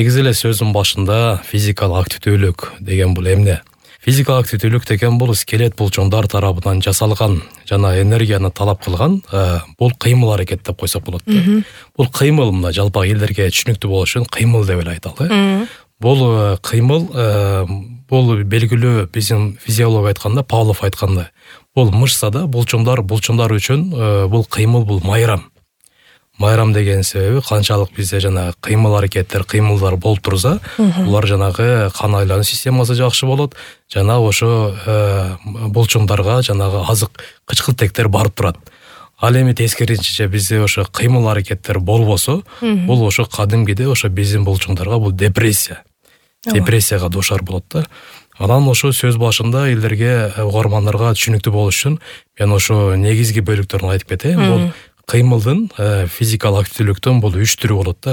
Негизи эле сөздүн башында физикалык активдүүлүк деген бул эмне? Физикалык активдүүлүк деген бул скелет булчуңдар тарабынан жасалган жана энергияны талап кылган бул кыймыл аракет деп койсок болот. Бул кыймыл мына жалпак элдерге түшүнүктүү болуш үчүн кыймыл деп эле айталы. Бул кыймыл бул белгилүү биздин физиология айтканда, Павлов айткандай, бул мышцада булчуңдар үчүн бул кыймыл бул майрам. Майрам деген себеби канчалык бизде жана кыймыл аракеттер, кыймылдар болуп турса, булар жанагы кан айлануу системасы жакшы болот, жана ошо булчуңдарга жанагы азык кычкылтектер барып турат. Ал эми тескерисинче бизде ошо кыймыл аракеттер болбосо, бул ошо кадимгиде ошо биздин булчуңдарга бул депрессияга дуушар болот да. Анан ошо сөз башында элдерге, угармандарга түшүнүктүү болуш үчүн мен ошо негизги бөлүктөрүн айтып кетейин. Бул кыймылдын физикалык активдүүлүктөн бул 3 түрү болот да.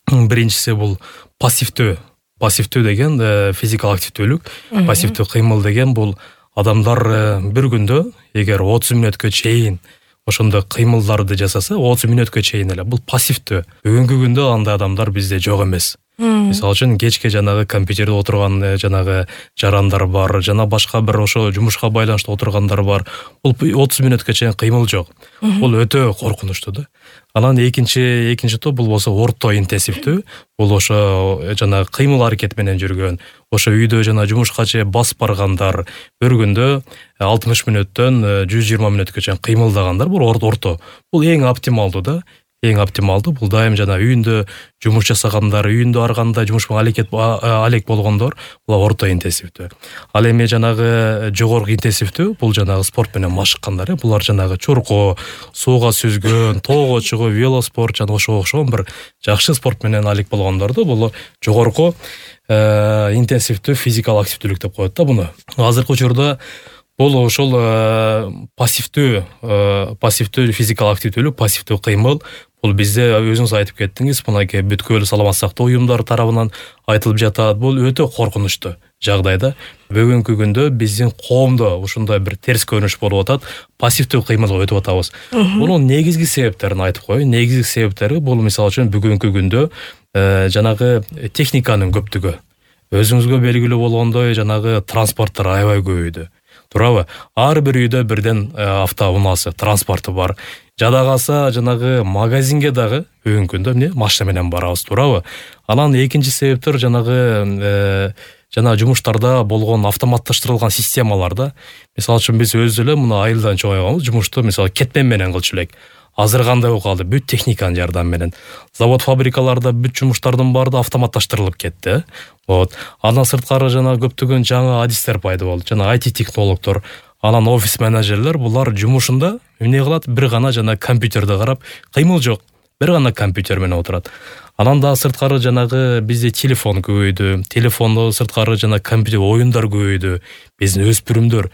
Биринчиси бул пассивдүү. Пассивдүү деген физикалык активдүүлүк. Пассивдүү кыймыл деген бул адамдар бир күндө эгер 30 мүнөткө чейин ошондой кыймылдарды жасаса, 30 мүнөткө чейин эле бул пассивдүү. Бүгүнкү күндө андай адамдар бизде жок эмес. Мисалы үчүн кечке жанагы компьютерде отурган жанагы жарандар бар, жана башка бир ошо жумушка байланыштуу отургандар бар. Бул 30 мүнөткө чейин кыймыл жок. Бул өтө коркунучтуу да. Анан экинчи топ бул болсо орто интенсивдүү. Бул ошо жанагы кыймыл аракет менен жүргөн, ошо үйдө жана жумушка чейин басып баргандар, бир күндө 60 мүнөттөн 120 мүнөткө чейин кыймылдагандар. Бул орто. Бул эң оптималдуу да. Эң оптималдуу бул дайым жана үйүндө жумуш жасагандар, үйүндө арганда жумуш менен алек болгондор, бул орто интенсивдүү. Ал эми жанагы жогорку интенсивдүү бул жанагы спорт менен машыккандар, булар жанагы чуркоо, сууга сүзгөн, тоого чыгуу, велоспорт жана ошого окшогон бир жакшы спорт менен алек болгондорду бул жогорку интенсивдүү физикалык активдүүлүк деп коет да буну. Азыркы учурда бул ошол пассивдүү физикалык активдүүлүк, пассивдүү кыймыл бул бизде өзүңүз айтып кеттиңиз, мынакей бүткүл саламаттык сактоо уюмдары тарабынан айтылып жатат. Бул өтө коркунучтуу жагдайда. Бүгүнкү күндө биздин коомдо ушундай бир терс көрүнүш болуп атат. Пассивдүү кыймылга өтүп атабыз. Бунун негизги себептерин айтып коеюн. Негизги себептери бул мисалы үчүн бүгүнкү күндө жанагы техниканын көптүгү. Өзүңүзгө белгилүү болгондой жанагы транспорттор аябай көбөйдү. Туурабы? Ар бир үйдө бирден автоунаасы, транспорту бар. Жада калса жанагы магазинге дагы бүгүнкү күндө эмне машина менен барабыз, туурабы? Анан экинчи себептер жанагы жана жумуштарда болгон автоматташтырылган системаларда. Мисалы үчүн биз өзү эле мына айылдан чоңойгонбуз, жумушту мисалы кетмен менен кылчу элек. Азыр кандай болуп калды? Бүт техниканын жардамы менен. Завод, фабрикаларда бүт жумуштардын баары автоматташтырылып кетти. Андан сырткары жана көптөгөн жаңы адистер пайда болду. Жана IT технологдор, анан офис менеджерлер булар жумушунда эмне кылат? Бир гана жана компьютерди карап, кыймыл жок. Бир гана компьютер менен отурат. Анан да сырткары жанагы бизде телефон көбөйдү. Телефондо сырткары жана компьютер оюндар көбөйдү. Биздин өспүрүмдөр,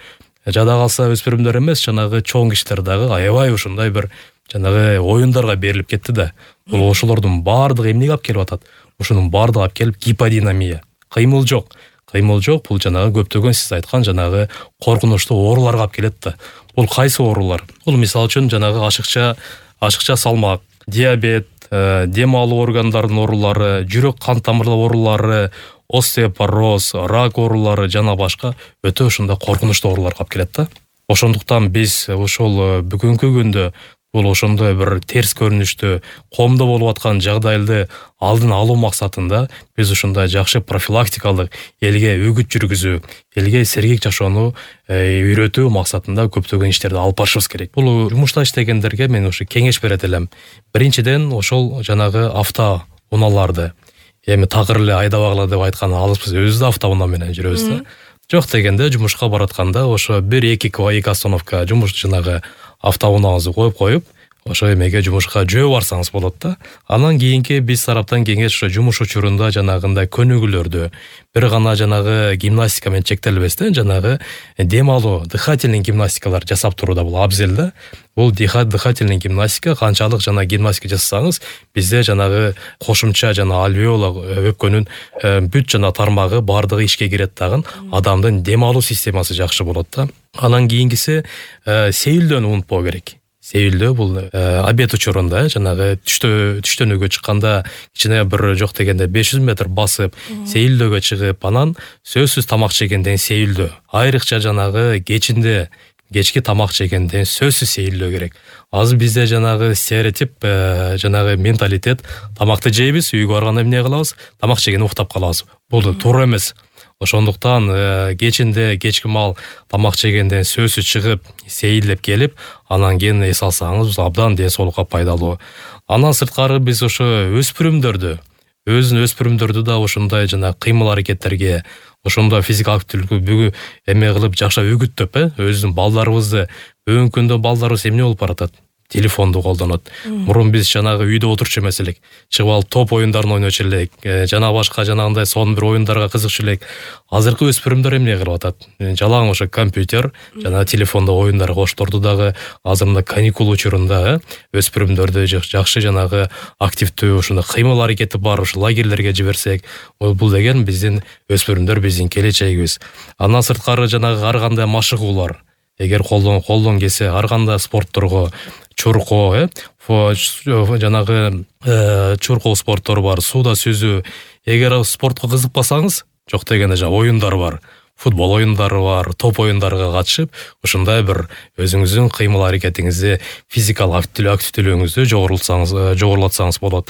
жада калса өспүрүмдөр эмес, жанагы чоң кишилер дагы аябай ушундай бир жанагы оюндарга берилип кетти да. Бул ошолордун баардыгы эмнеге алып келип атат? Ушунун баардыгы алып келип гиподинамия. Кыймыл жок. Кыймыл жок, бул жанагы көптөгөн сиз айткан жанагы коркунучтуу ооруларга алып келет да. Бул кайсы оорулар? Бул мисалы үчүн жанагы ашыкча салмак, диабет, дем алуу органдарынын оорулары, жүрөк кан тамырлар оорулары, остеопороз, рак оорулары жана башка өтө ушундай коркунучтуу ооруларга алып келет да. Ошондуктан биз ошол бүгүнкү күндө бул ошондой бир терс көрүнүштүү коомдо болуп аткан жагдайды алдын алуу максатында биз ушундай жакшы профилактикалык элге үгүт жүргүзүү, элге сергек жашоону үйрөтүү максатында көптөгөн иштерди алып барышыбыз керек. Бул жумушта иштегендерге мен ушу кеңеш берет элем. Биринчиден ошол жанагы автоунааларды эми такыр эле айдабагыла деп айткан алыспыз, өзүбүз да автоунаа менен жүрөбүз да. Жок дегенде жумушка баратканда ошо 1-2 остановка жумуш жанагы автоунааңызды коюп, ошо эмеге жумушка жөө барсаңыз болот да. Анан кийинки биз тараптан кеңеш ошо жумуш учурунда жанагындай көнүгүүлөрдү бир гана жанагы гимнастика менен чектелбестен жанагы дем алуу, дыхательный гимнастикалар жасап туруу да бул абзел да. Бул дыхательный гимнастика канчалык жана гимнастика жасасаңыз, бизде жанагы кошумча жана альвеола өпкөнүн бүт жана тармагы бардыгы ишке кирет дагы, адамдын дем алуу системасы жакшы болот да. Анан кийинкиси сейилдөөнү унутпоо керек. сейилдөө бул обед учурунда жанагы түштөнүүгө чыкканда кичине бир жок дегенде 500 метр басып сейилдөөгө чыгып, анан сөзсүз тамак жегенден сейилдөө. Айрыкча жанагы кечки тамак жегенден сөзсүз сейилдөө керек. Азыр бизде жанагы стереотип, жанагы менталитет, тамакты жейбиз, үйгө барганда эмне кылабыз? Тамак жегенде уктап калабыз. Бул туура эмес. Ошондуктан кечки мал тамак жегенден сөзсүз чыгып, сейилдеп келип, анан кийин эс алсаңыз абдан ден соолукка пайдалуу. Андан сырткары биз ошо өспүрүмдөрдү да ошондой жана кыймыл аракеттерге, ошондой физикалык активдүүлүккө эме кылып жакшы үгүттөп, өзүнүн балдарыбызды, бүгүнкү күндө балдарыбыз эмне болуп баратат? Телефонду колдонот. Мурун биз жанагы үйдө отурчу эмес элек, чыгып алып топ оюндарын ойночу элек, жана башка жанагындай сонун бир оюндарга кызыкчу элек. Азыркы өспүрүмдөр эмне кылып атат? Жалаң ошо компьютер жана телефондо оюндар коштурду дагы азыр мына каникул учурунда өспүрүмдөрдү жакшы жанагы активдүү ушундай кыймыл аракети бар ушу лагерлерге жиберсек, бул деген биздин өспүрүмдөр биздин келечегибиз. Андан сырткары жанагы ар кандай машыгуулар, эгер колдон келсе ар кандай спортторго, чуркоо, жанагы чуркоо спорттору бар, сууда сүзүү. Эгер спортко кызыкпасаңыз, жок дегенде оюндар бар, футбол оюндары бар, топ оюндарга катышып, ушундай бир өзүңүздүн кыймыл аракетиңизди, физикалык активдүүлүгүңүздү жогорулатсаңыз болот.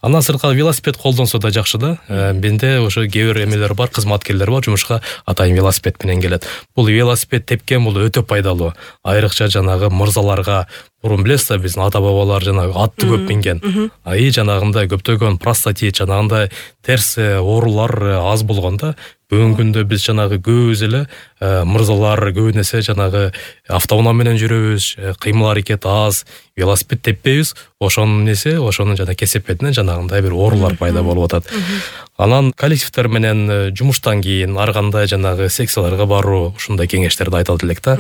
Андан сырткары велосипед колдонсо да жакшы да. Менде ошо кээ бир эмелер бар, кызматкерлер бар, жумушка атайын велосипед менен келет. Бул велосипед тепкен бул өтө пайдалуу. Айрыкча жанагы мырзаларга, мурун билесиз да, биздин ата-бабалар жанагы атты көп минген. Жанагындай көптөгөн простатит, жанагындай терс оорулар аз болгондо, бүгүнкү күндө биз жанагы көбүбүз эле мырзалар көбүнесе жанагы автоунаа менен жүрөбүз, кыймыл аракет аз, велосипед теппейбиз, ошонун жана кесепетинен жанагындай бир оорулар пайда болуп атат. Анан коллективдер менен жумуштан кийин ар кандай жанагы секцияларга баруу, ушундай кеңештерди айталат элек да.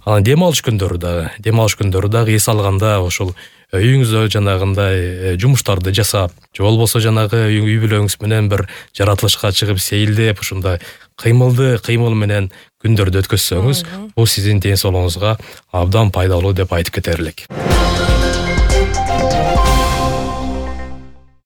Анан дем алыш күндөрү дагы эс алганда ошол үйүңүздө жанагындай жумуштарды жасап, же болбосо жанагы үй бүлөңүз менен бир жаратылышка чыгып сейилдеп, ушундай кыймыл менен күндөрдү өткөзсөңүз, бул сиздин ден соолугуңузга абдан пайдалуу деп айтып кетер элек.